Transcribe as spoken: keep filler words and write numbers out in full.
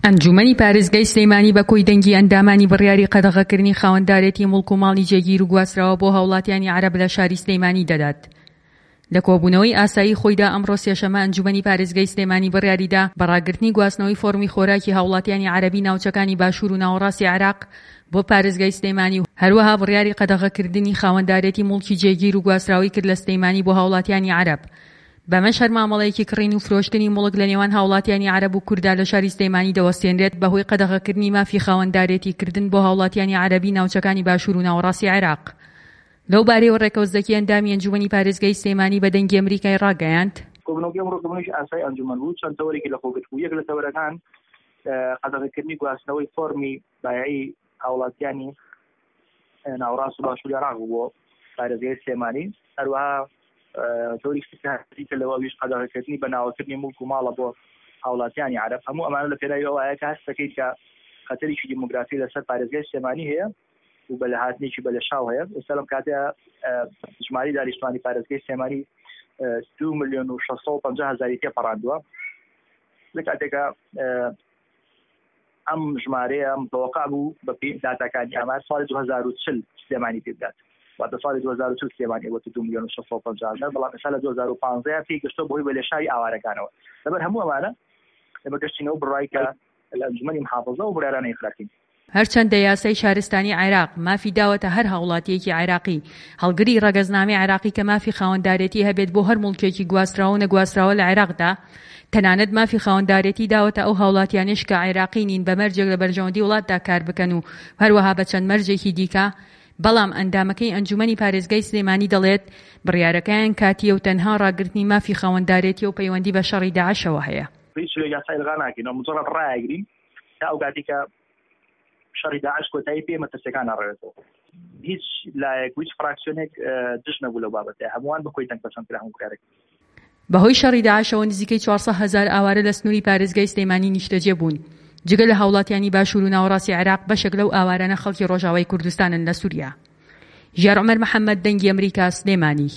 ئەنجومەنی پارێزگای سلێمانی بە کۆی دەنگی ئەندامانی بڕیاری قەدەغەکردنی خاوەندارێتی موڵک و ماڵی جێگیر و گواستراوە بۆ هاوڵاتیانی عەرەب لە شاری سلێمانی دەدات. لە کۆبوونەوەی ئاسایی خۆیدا ئەمڕۆ سێشەمە ئەنجومەنی پارێزگای سلێمانی بڕیاریدا بە ڕاگرتنی گواستنەوەی فۆڕمی خۆراکی هاوڵاتیانی عەرەبی ناوچەکانی باشوور و ناوەڕاستی عێراق بۆ پارێزگای سلێمانی و هەروەها بڕیاری قەدەغەکردنی خاوەندارێتی موڵکی جێگیر و گواستراوەی کرد لە سلێمانی بۆ هاوڵاتیانی عەرەب. بەمەش هەر مامەڵەیەکی کڕین و فرۆشتنی موڵک لە نێوان هاوڵاتیانی عەرەب و کورددا لە شاری سلێمانی دەوەستێنرێت بەهۆی قەدەغەکردنی مافی خاوەندارێتی کردن بۆ هاوڵاتیانی عەرەبی ناوچەکانی باشوور و ناوەڕاستی عێراق. لەو بارەیەوە ڕێکەوت زەکی ئەندامی ئەنجومەنی پارێزگای سلێمانی بە دەنگی ئەمریکای ڕاگەیاند، کۆبوونەوەکەی ئەمڕۆ کۆبوونەوەیەکی ئاسایی ئەنجومەن بوو، چەند تەوەرێکی لەخۆ گرتبوو، یەک لە تەوەرەکان قەدەغەکردنی گواستنەوەی فۆرمی بایعی هاوڵاتیانی ناوەڕاست و باشووری عێراق بوو بۆ پارێزگای سلێمانی، هەروەها تەوەرێکی تر لەوە ئەویش قەدەغەکردنی بەناوەکردنی موڵک و ماڵە بۆ هاوڵاتیانی عەرەب. هەموو ئەمانە لە پێناوی ئەوەیە کە هەست دەکەیت کە خەتەرێکی دیموگرافی لەسەر پارێزگای سلێمانی هەیە و بە لەهاتنێکی بەلێشاو هەیە. ئێستا لەم کاتەیە ژمارەی دانیشتوانی پارێزگای سلێمانی دوو ملیۆن و شەش سەد و پەنجا هەزاری تێپەڕاندووە، لە کاتێکا ئەم ژمارەیە متوقع بوو بە پێی داتاکانی ئامار ساڵی دوو هەزار و چل سلێمانی پێ بدات، واتە ساڵی دوو هەزار و چل سلێمانی بۆتە دوو ملیۆن و شەش سەد و پەنجا هەزار، بەڵام ئێستا لە دوو هەزار و پانزە پێی گەشتووە بەهۆی بەلێشاوی ئاوارەکانەوە. لەبەر هەموو ئەمانە ئێمە گەشتینەوە بڕای کە لە ئەنجومەنی محافظە و بڕیارانە ئیقرارکەین. هەرچەندە یاسای شارستانی عێراق مافی داوەتە هەر هاوڵاتییەکی عێراقی هەڵگری ڕەگەزنامەی عێراقی کە مافی خاوەندارێتی هەبێت بۆ هەر موڵکێکی گواستراوە و نەگواستراوە لە عێراقدا، تەنانەت مافی خاوەندارێتی داوەتە ئەو هاوڵاتیانەش کە عێراقی نین بە مەرجێک لە بەرژەوەندی وڵاتدا کار بکەن و هەروەها بە چەند مەرجێکی دیکە، بەڵام ئەندامەکەی ئەنجومەنی پارێزگای سلێمانی دەڵێت بڕیارەکەیان کاتییە و تەنها ڕاگرتنی مافی خاوەندارێتیە و پەیوەندی بە شەڕی داعشەوە هەیە. هیچ شتێک یاسا ئیلغا ناکەین و مجرد ڕایەگرین تا ئەو کاتێک کە شەڕی داعش کۆتایی پێ مەترسیەکان ناڕەوێتەوە. هیچ لایەک و هیچ فراکسیۆنێک دژ نەبوو لەو بابەتە، هەمووان بە کۆی دەنگ پەسەند کرا هەموو بڕیارێک. بەهۆی شەڕی داعشەوە نزیکەی چوار سەد هەزار ئاوارە لە سنووری پارێزگای سلێمانی نیشتەجێ بوون، جگە لە هاوڵاتیانی باشوور و ناوەڕاستی عێراق بەشێک لەو ئاوارانە خەڵکی ڕۆژاوای کوردستانن لە سووریا. ژیار عومەر محەمەد، دەنگی ئەمریکا، سلێمانی.